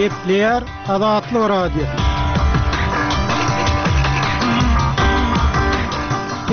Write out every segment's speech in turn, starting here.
Gepleýär Azatlyk Radiosy.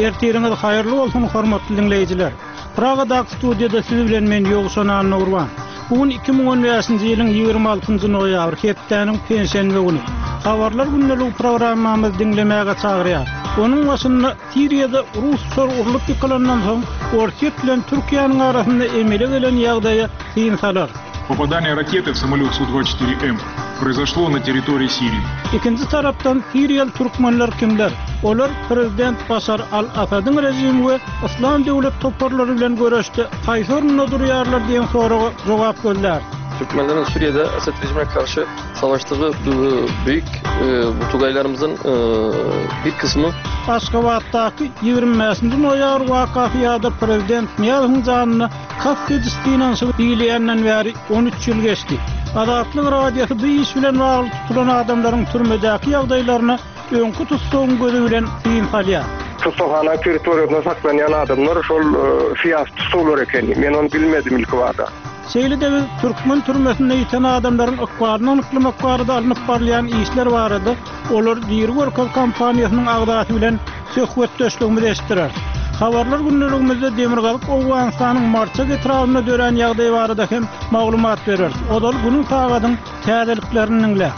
Ertiriňiz haýyrly bolsun, hormatly diňleýjiler! Pragadaky studiýada siz bilen men Ýowşan Annagurban. Bu gün 2015-nji ýylyň 26-njy noýabry, hepdäniň penşenbe güni. Habarlar gündeligi programmamyzy diňlemäge çagyrýar. Onuň başynda Siriýada rus uçary urlup ýykylandan soň Orsýet bilen Türkiýäniň arasynda emele gelen ýagdaýa syn salar. Popadaniýe rakety w samolýot Su-24M proizoşlo na territoriýi Siriýi. Ikinji tarapdan siriýaly türkmenler kimler? Olar prezident Başar al-Asadyň režimi we Yslam döwlet toparlary bilen göreşde haýsy orunda durýarlar diýen soraga jogap gözläris. Türkmenleriň Suriýede Esed režimine karşy savaşdygy büyük bu tugaýlarymyzyň bir kysmy. Aşgabatdaky 25-nji noýabr wakasy ýa-da prezident Nyýazowyň janyna kast ediş synanyşygy diýilýänden bäri 13 ýyl geçdi. Azatlyk Radiosy bu iş bilen bagly tutulan adamlaryň türmedäki ýagdaýlaryna öňki tussagyň gözi bilen syn salýar. Tussaghana territoriýasynda saklanýan adamlar şol syýasy tussaglar ekeni. Men ony bilmedim ilkibada. Şeýle-de biz türkmen türmesinde ýiten adamlaryň ykbalyny anyklamak barada alnyp barylýan işler barada Olary diri görkez kampaniýasynyň agzasy bilen söhbetdeşligimizi eşitdireris. Habarlar gündeligimizde Demirgazyk Owganystanyň Marçak etrabynda dörän ýagdaý barada hem maglumat bereris. Ozal günüň sagadyň täzeliklerini diňläň.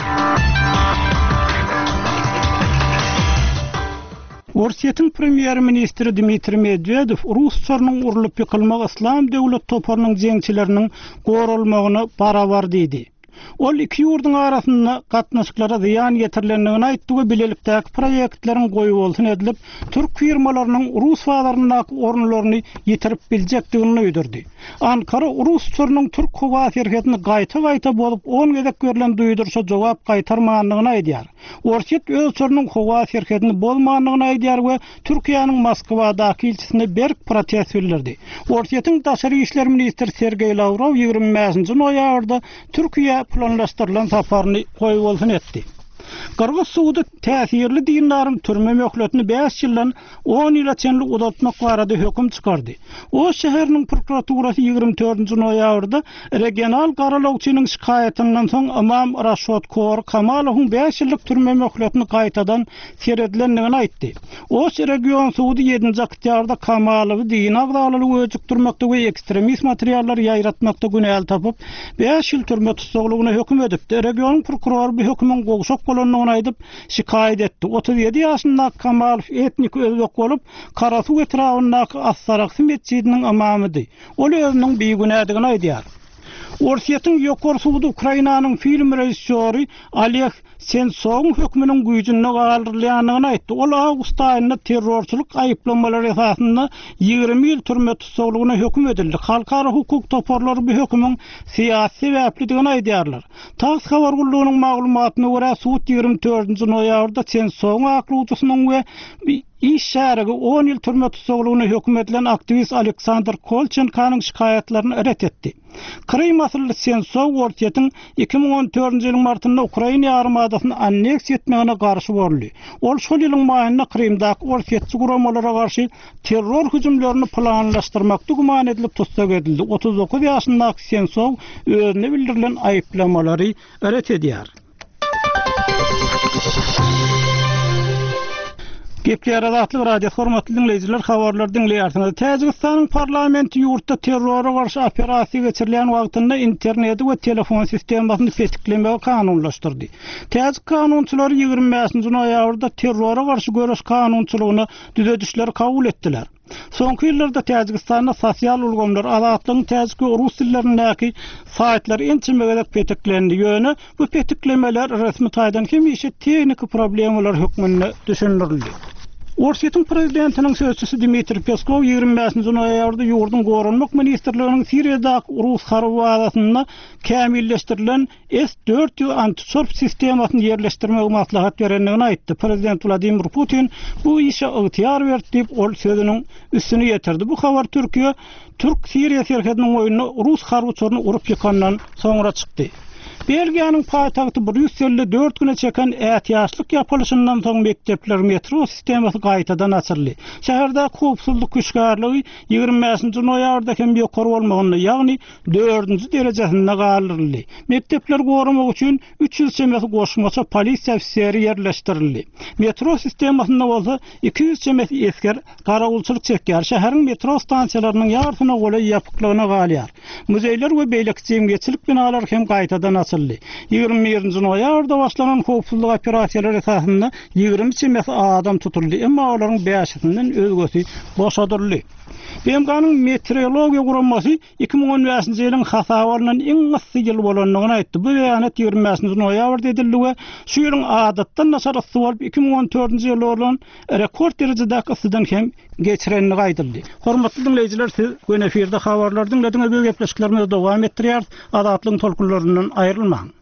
Orsýetiň premýer-ministri Dmitriý Medwedew rus uçarynyň urlup ýykylmagy Yslam döwlet toparynyň jeňçileriniň goralmagyna barabar diýdi. Ol iki ýurduň arasynda gatnaşyklara zyýan ýetirilendigini aýtdy we bilelikdäki proýektleriň goýbolsun edilip, türk firmalarynyň rus bazaryndaky orunlaryny ýitirip biljekdigini duýdurdy. Ankara rus uçarynyň türk howa serhedini gaýta-gaýta bozup on gezek berlen duýduryşa jogap gaýtarmandygyny aýdýar. Orsýet öz uçarynyň howa serhedini bozmandygyny aýdýar we Türkiýäniň Moskwadaky ilçisine berk protest bildirdi. Orsýetiň daşary işler ministri Sergeý Lawrow 25-nji noýabrda Türkiýä planlaşdyrylan saparyny goýbolsun etdi. Gyrgyz sudy täsirli dindaryň türme möhletini bäş ýyldan on ýyla çenli uzaltmak barada höküm çykardy. Oş şäheriniň prokuraturasy 24-nji noýabrda Regional garalawçynyň şikaýatyndan soň ymam Raşot Kor Kamalowyň bäş ýyllyk türme möhletini gaýtadan seredilendigini aýtdy. Oş region sudy ýedinji oktýabrda Kamalowy dini agzalalygy öjükdirmekde we ekstremist materiallary ýaýratmakda günäli tapyp, bäş ýyl türme tussaglygyna höküm edipdi. Regionyň prokurory bu hökümiň gowşak bolandygyny aýdyp, şikaýat etdi. 37 ýaşyndaky Kamalow etniki özbek bolup, Karasuw etrabyndaky As-Saraksy metjidiniň ymamydy. Ol özüniň bigünädigini aýdýar. Orsýetiň Ýokary sudy Ukrainanyň film režissýory Oleg Sentsowyň hökmüniň güýjünde galdyrylýandygyny aýtdy. Ol awgust aýynda terrorçylyk aýyplamalary esasynda 20 ýyl türme tussaglygyna höküm edildi. Halkara hukuk toparlary bu hökümiň syýasy sebäplidigini aýdýarlar. Tass habar gullugynyň maglumatyna görä, sud 24-nji noýabrda Sentsowyň aklawçysynyň we Iş şärigi on ýyl türme tussaglygyna höküm edilen aktiwist Aleksandr Kolçenkonyň şikaýatlaryny ret etdi. Krym asylly Sensow Orsýetiň 2014-nji ýylyň martynda Ukraina ýarymadasyny anneksiýa etmegine garşy boldy. Ol şol ýylyň maýynda Krymdaky orsýetçi guramalara garşy terror hüjümlerini planlaşdyrmakda güman edilip tussag edildi. 39 ýaşyndaky Sensow özüne bildirilen aýyplamalary ret edýär. Gepleýär Azatlyk Radiosy hormatly diňleýjiler habarlary diňleýärsiňiz. Täjigistanyň parlamenti ýurtda terrora garşy operasiýa geçirilýän wagtynda interneti we telefon sistemasyny petiklemegi kanunlaşdyrdy. Täjik kanunçylary 25-nji noýabrda terrora garşy göreş kanunçylygyna düzedişleri kabul etdiler. Soňky ýyllarda Täjigistanda sosial ulgamlar, Azatlygyň täjik we rus dillerindäki saýtlary ençeme gezek petiklendi. Ýöne bu petiklemeler resmi taýdan hemişe tehniki problemalar hökmünde düşündirildi. Orsýetiň prezidentiniň sözçüsi Dmitriý Peskow 25-nji noýabrda ýurduň Goranmak ministrliginiň Siriýadaky rus harby bazasynda kämilleşdirilen S 400 antiuçar sistemasyny ýerleşdirmegi maslahat berendigini aýtdy. Prezident Wladimir Putin bu işe ygtyýar berdi diýip, ol sözüniň üstüni ýetirdi. Bu habar Türkiýe türk-siriýa serhediniň boýunda rus harby uçaryny urup ýykandan soňra çykdy. Belgiýanyň paýtagty Brýusselde dört güne çeken ätiýaçlyk ýapylyşyndan soň mekdepler, metro sistemasy gaýtadan açyldy. Şäherdäki howpsuzlyk hüşgärligi 25-nji noýabrda hem ýokary bolmagynda, ýagny dördünji derejesinde galdyryldy. Mekdepleri goramak üçin 300 çemesi goşmaça polisiýa ofiseri ýerleşdirildi. Metro sistemasynda bolsa 200 çemesi esger garawulçylyk çekýär. Şäheriň metro stansiýalarynyň ýarysyna golaý ýapyklygyna galýar. Muzeýler we beýleki jemgyýetçilik binalary hem gaýtadan açyldy. 21-nji noýabrda başlanan howpsuzlyk operasiýalary esasynda 20 çemesi adam tutuldy, emma olaryň bäşisinden özgesi boşadyldy. BMG-niň Meteorologiýa guramasy 2015-nji ýylyň hasaba alnan iň yssy ýyl bolandygyny aýtdy. Bu beýanat 25-nji noýabrda edildi we şu ýylyň adatdan daşary yssy bolup, 2014-nji ýylda bolan rekord derejedäki yssydan hem geçirendigi aýdyldy. Hormatly diňleýjiler, siz göni efirde habarlary diňlediňiz, biz gepleşiklerimizi dowam etdirýäris. Azatlygyň tolkunlaryndan aýrylmaň!